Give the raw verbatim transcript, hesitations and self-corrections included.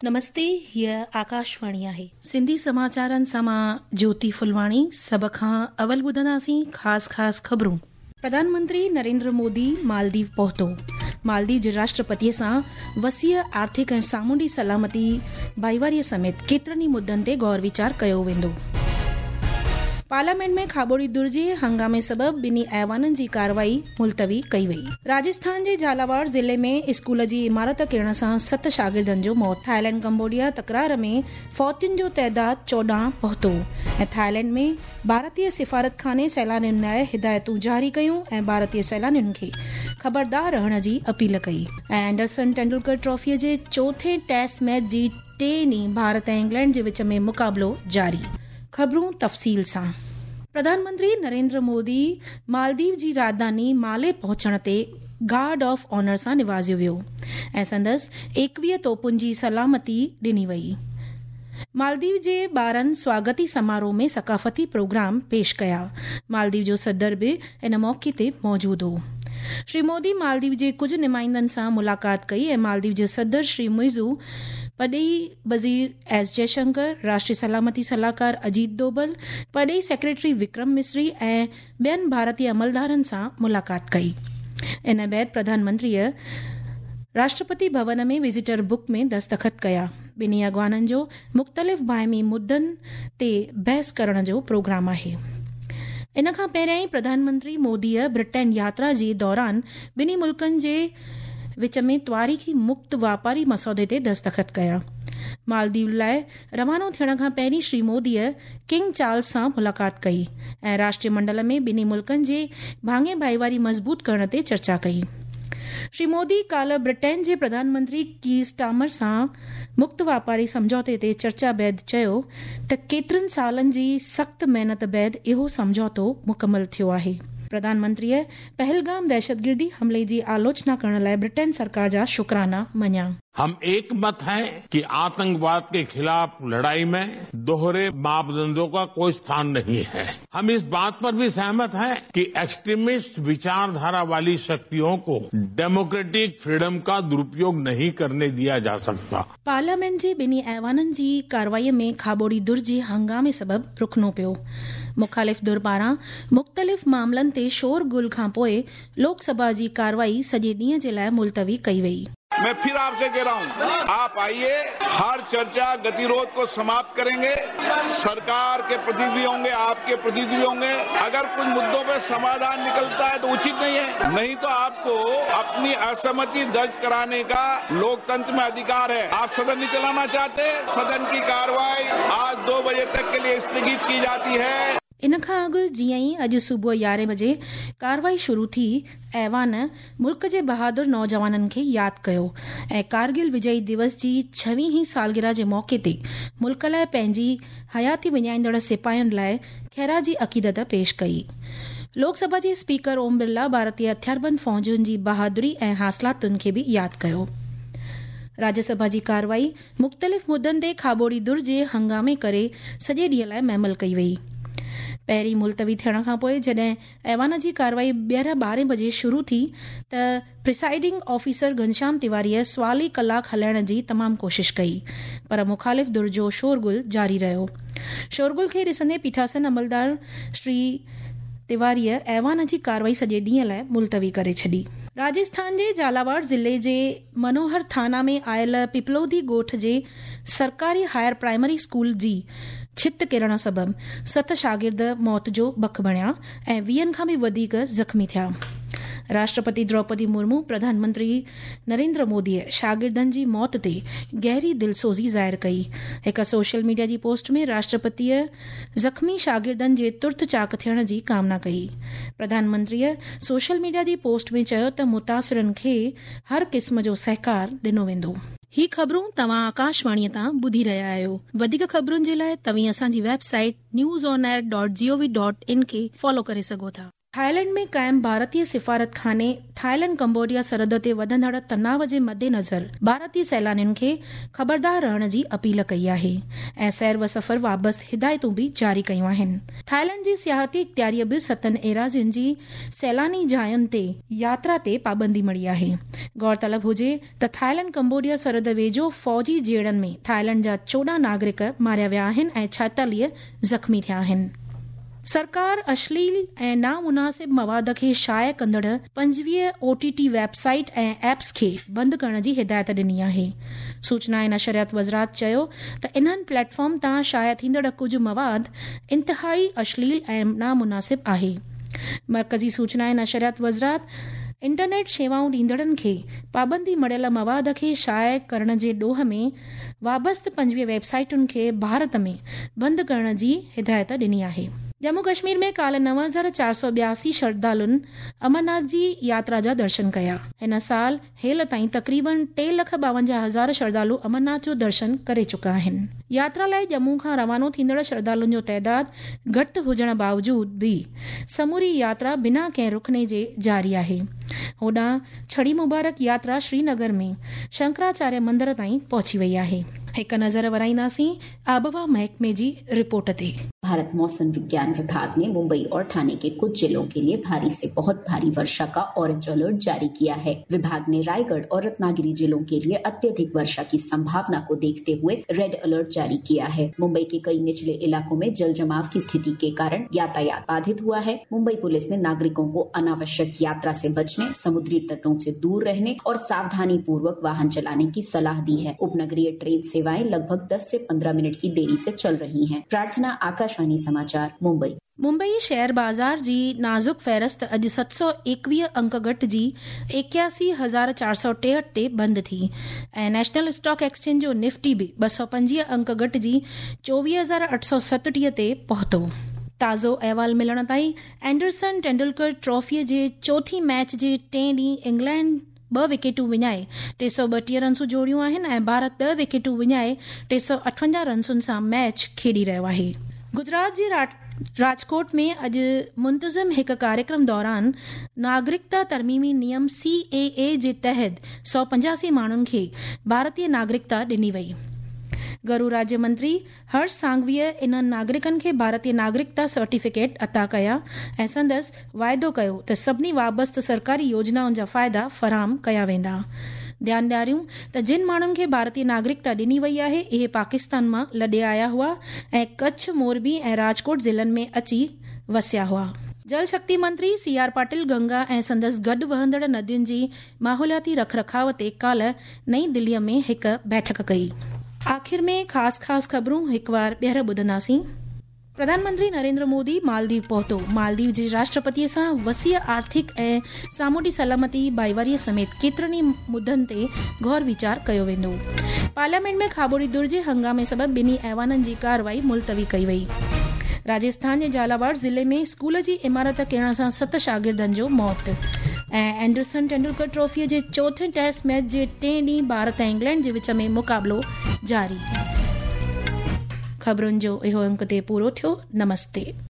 نمستي، هيء آڪاشواڻي آهي. سنڌي سماچارن سان مان جوتي ڦلواڻي. سڀ کان اول ٻڌنداسين خاص خاص خبرون. پرڌان منتري نريندر مودي مالديو پهتو. مالديو جي راشٽرپتيء سان وسيع آرٿڪ ۽ سامونڊي سلامتي ڀائيواريء سميت ڪيترن ئي مدن تي غور ويچار ڪيو ويندو. پارليامينٽ ۾ کاٻوڙي ڌر جي هنگامي سبب ٻنهي ايوانن جي ڪارروائي ملتوي ڪئي وئي. راجسٿان جي جهالاواڙ ضلعي ۾ اسڪول جي عمارت ڪرڻ سان ست شاگردن جو موت. ٿائيلينڊ ڪمبوڊيا تڪرار ۾ فوتين جو تعداد چوڏهن پهتو ۽ ٿائيلينڊ ۾ ڀارتي سفارتخاني سيلانين لاء هدايتون جاري ڪيون ۽ ڀارتي سيلانين کي خبردار رهڻ جي اپيل ڪئي. ۽ اينڊرسن ٽينڊولڪر ٽرافيء جي چوٿين ٽيسٽ ميچ جي ٽئين ڏينهن ڀارت ۽ انگلينڊ جي وچ ۾ مقابلو جاري. خبرون تفصيل سان. پرڌان منتري نريندر مودي مالديو جي راڄڌاني مالي پهچڻ تي گارڊ آف آنر سان نوازيو ويو ۽ سندس ايڪويهه توپن جي سلامتي ڏني وئي. مالديو جي ٻارن سواگتي سماروهه ۾ ثقافتي پروگرام پيش ڪيا. مالديو جو صدر به ان موقعي تي موجود هو. شري مودي مالديو جي ڪجهه نمائندن سان ملاقات ڪئي ۽ مالديو جي صدر شري معزو، پرڏيهي وزير ايس جئشنڪر، راشٽري سلامتي صلاحڪار اجيت دوبل، پرڏيهي سيڪريٽري وڪرم مصري ۽ ٻين ڀارتي عملدارن سان ملاقات ڪئي. ان بعد پرڌان منتريء راشٽرپتي ڀون ۾ وزيٽر بڪ ۾ دستخط ڪيا. ٻنهي اڳواڻن جو مختلف باهمي مدن تي بحث ڪرڻ جو پروگرام آهي. ان کان پهريائين پرڌان منتري موديء برٽين ياترا جي دوران ٻنهي ملڪن جي وچ ۾ تواريخي مڪت واپاري مسودي تي دستخط ڪيا. مالديو لاء روانو ٿيڻ کان پهرين شري موديء ڪنگ چارلس سان ملاقات ڪئي ۽ راشٽري منڊل ۾ ٻنهي ملڪن جي ڀاڱي ڀائيواري مضبوط ڪرڻ تي چرچا ڪئي. شري مودي ڪالهه برٽين جي پرڌان منتري ڪير اسٽارمر سان مڪت واپاري سمجهوتي تي چرچا بعد چيو ته ڪيترن سالن جي سخت محنت بعد اهو سمجهوتو مڪمل ٿيو آهي. پرڌان منتريء پهلگام دهشتگردي حملي جي آلوچنا ڪرڻ لاء برٽين سرڪار جا شڪرانا مڃيا. हम एक मत हैं कि आतंकवाद के खिलाफ लड़ाई में दोहरे मापदंडों का कोई स्थान नहीं है। हम इस बात पर भी सहमत हैं कि एक्सट्रीमिस्ट विचारधारा वाली शक्तियों को डेमोक्रेटिक फ्रीडम का दुरुपयोग नहीं करने दिया जा सकता। पार्लियामेंट جي ٻنهي ايوانن جي ڪارروائي ۾ کاٻوڙي ڌر جي هنگامي سبب رڪڻو پيو. مخالف ڌر پاران مختلف معاملن تي شور گل کان پوءِ لوڪ سڀا جي ڪارروائي سڄي ڏينهن جي لاءِ ملتوي ڪئي وئي. मैं फिर आपसे कह रहा हूं, आप आइए, हर चर्चा गतिरोध को समाप्त करेंगे। सरकार के प्रतिनिधि भी होंगे, आपके प्रतिनिधि भी होंगे। अगर कुछ मुद्दों पे समाधान निकलता है तो उचित नहीं है, नहीं तो आपको अपनी असहमति दर्ज कराने का लोकतंत्र में अधिकार है। आप सदन नहीं चलाना चाहते, सदन की कार्रवाई आज दो बजे तक के लिए स्थगित की जाती है। ان کان اڳ جيئن ئي اڄ صبح يارهين بجي ڪارروائي شروع ٿي، ايوان ملڪ جي بهادر نوجوانن کي ياد ڪيو ۽ ڪارگل وجئي دوس جي ڇويهين سالگرهه جي موقعي تي ملڪ لاءِ پنهنجي حياتي وڃائيندڙ سپاهين لاءِ خراج عقيدت پيش ڪئي. لوڪ سڀا جي اسپيڪر اوم برلا ڀارتي هٿياربند فوجن جي بهادري ۽ حاصلاتن کي به ياد ڪيو. راجيه سڀا جي ڪارروائي مختلف مدن تي کاٻوڙي ڌر جي هنگامي ڪري سڄي ڏينهن لاءِ مهمل ڪئي وئي. پهرين ملتوي ٿيڻ کان پوءِ جڏهن ايوان جي ڪارروائي ٻيهر ٻارهين بجي شروع ٿي ته پريسائيڊنگ آفيسر گهنشيام تيواريء سوالي ڪلاڪ هلائڻ جي تمام ڪوشش ڪئي، پر مخالف ڌر جو شورغل جاري رهيو. شورغل کي ڏسندي پيٺاسن عملدار شري تيواريء ايوان جي ڪارروائي سڄي ڏينهن لاءِ ملتوي ڪري ڇڏي. راجسٿان جي جهالاواڙ ضلعي جي منوهر ٿانا ۾ آيل پپلودي ڳوٺ جي سرڪاري هائر پرائمري اسڪول جي ڇت ڪرڻ سبب ست شاگرد موت جو بک بڻيا ۽ ويهن کان به وڌيڪ زخمي ٿيا. راشٽرپتي دروپدي مرمو، پرڌان منتري نريندر موديء شاگردن جي موت تي گهري دلسوزي ظاهر ڪئي. هڪ سوشل ميڊيا جي پوسٽ ۾ راشٽرپتيء زخمي شاگردن جي ترت چاڪ ٿيڻ جي ڪامنا ڪئي. پرڌان منتريء سوشل ميڊيا جي پوسٽ ۾ چيو ته متاثرن کي هر قسم جو سهڪار ڏنو ويندو. هي خبرون توهان آڪاشواڻيء تان ٻڌي رهيا آهيو. وڌيڪ خبرن جي لاءِ توهين اسان جي website news on air dot G O V dot in کي فالو ڪري سگهو ٿا. थाईलैंड में क़ाइम भारतीय सिफारत खाने थाईलैंड कंबोडिया सरहद ते वधंदड़ तनाव जे मद्देनज़र भारतीय सैलानियुनि खे ख़बरदार रहण जी अपील कई आहे ऐं सैर व सफ़र वाबस्त हिदायतूं बि जारी कयूं आहिनि। थाईलैंड जी सियाहती इख़्तियारीअ बि सतनि एराज़ियुनि जी सैलानी जायुनि ते यात्रा ते पाबंदी मढ़ी आहे। गौरतलब हुजे त थाईलैंड कंबोडिया सरहद वेझो फ़ौजी झेड़नि में थाईलैंड जा चोॾहं नागरिक मारिया विया आहिनि ऐं छाएतालीह ज़ख़्मी थिया आहिनि। सरकार अश्लील ऐं नामुनासिब मवाद खे शाया कंदड़ पंजवीह ओ टी टी वेबसाइट ऐं एप्स खे बंदि करण जी हिदायत ॾिनी आहे। सूचना ऐं नशरियात वज़ारत चयो त इन्हनि प्लेटफॉर्म तां शाया थींदड़ कुझु मवाद इंतिहाई अश्लील ऐं नामुनासिब आहे। मर्कज़ी सूचना ऐं नशरियात वज़ारत इंटरनेट शेवाऊं ॾींदड़नि खे पाबंदी मढ़ियल मवाद खे शाया करण जे ॾोह में वाबस्त पंजवीह वेबसाइटुनि खे भारत में बंदि करण जी हिदायत ॾिनी आहे। जम्मू कश्मीर में काल्ह नव हज़ार चारि सौ ॿियासी श्रद्धालुनि अमरनाथ जी यात्रा जा दर्शन कया। हिन साल हेल ताईं तक़रीबन टे लख ॿावंजाह हज़ार श्रद्धालु अमरनाथ जो दर्शन करे चुका आहिनि। यात्रा लाइ जम्मू खां रवानो थींदड़ श्रद्धालुनि जो तादाद घटि हुजण बावजूद बि समूरी यात्रा बिना कंहिं रुकणे जे जारी आहे। होॾां छड़ी मुबारक यात्रा श्रीनगर में शंकराचार्य मंदिर ताईं पहुची वई आहे। हिकु नज़र वराईंदासीं आबहवा महकमे जी रिपोर्ट ते। भारत मौसम विज्ञान विभाग ने मुंबई और ठाणे के कुछ जिलों के लिए भारी से बहुत भारी वर्षा का ऑरेंज अलर्ट जारी किया है। विभाग ने रायगढ़ और रत्नागिरी जिलों के लिए अत्यधिक वर्षा की संभावना को देखते हुए रेड अलर्ट जारी किया है। मुंबई के कई निचले इलाकों में जल जमाव की स्थिति के कारण यातायात बाधित हुआ है। मुंबई पुलिस ने नागरिकों को अनावश्यक यात्रा से बचने, समुद्री तटों से दूर रहने और सावधानी पूर्वक वाहन चलाने की सलाह दी है। उपनगरीय ट्रेन सेवाएं लगभग दस से पंद्रह मिनट की देरी से चल रही हैं। प्रार्थना, आकाशवाणी समाचार, मुंबई। मुंबई शेयर बाज़ार जी नाज़ुक फ़हरिस्त अॼु सत सौ एकवीह अंक घटिजी एकासी हज़ार चारि सौ टेहठि ते बंदि थी ऐं नेशनल स्टॉक एक्सचेंज जो निफ्टी बि ॿ सौ पंजवीह अंक घटिजी चोवीह हज़ार अठ सौ सतटीह ते पहुतो। ताज़ो अहवाल मिलण ताईं एंडरसन तेंदुलकर ट्रॉफीअ जे चोथीं मैच जे टें ॾींहुं इंग्लैंड ॿ विकेटूं विञाए टे सौ ॿटीह रनसूं जोड़ियूं आहिनि ऐं भारत ॾह विकेटूं विञाए टे सौ अठवंजाह रनसुनि सां मैच खेॾी रहियो आहे। गुजरात जे राजकोट में अॼु मुंतज़िम हिकु कार्यक्रम दौरान नागरिकता तरमीमी नियम सी ए ए जे तहत सौ पंजासी माण्हुनि खे भारतीय नागरिकता ॾिनी वई। घरू राज्य मंत्री हर्ष सांघवीअ इन्हनि नागरिकनि खे भारतीय नागरिकता सर्टिफिकेट अता कया ऐं संदसि वाइदो कयो त सभिनी वाबस्त सरकारी योजनाउनि जा फ़ाइदा फराहम कया वेंदा। ध्यानु ॾियारियूं त जिन माण्हुनि खे भारतीय नागरिकता ॾिनी वई आहे इहे पाकिस्तान मां लॾे आया हुआ ऐं कच्छ, मोरबी ऐं राजकोट ज़िलनि में अची वसिया हुआ। जल शक्ति मंत्री सी आर पाटिल गंगा ऐं संदसि गॾु वहंदड़ नदियुनि जी माहौलियाती रखरखाव ते काल्ह नई दिल्लीअ में हिकु बैठक कई। आख़िर में ख़ासि ख़ासि ख़बरूं हिकु वार ॿीहर ॿुधंदासीं। प्रधानमंत्री नरेंद्र मोदी मालदीव पहुतो। मालदीव जे राष्ट्रपतीअ सां वसीअ आर्थिक ऐं सामुंडी सलामती भाईवारीअ समेत केतिरनि ई मुद्दनि ते गौर वीचार कयो वेंदो। पार्लियामेंट में खाबोड़ी दुर जे हंगामे सबबि ॿिन्ही ऐवाननि जी कार्रवाई मुलतवी कई वई। राजस्थान जे झालावाड़ ज़िले में स्कूल जी इमारत किरण सां सत शागिर्दनि जो मौत। ऐं एंडरसन तेंदुलकर ट्रॉफीअ जे चोथें टेस्ट मैच जे टें ॾींहुं भारत ऐं इंग्लैंड जे विच में मुक़ाबिलो जारी। ख़बरुनि जो इहो अंक ते पूरो थियो। नमस्ते।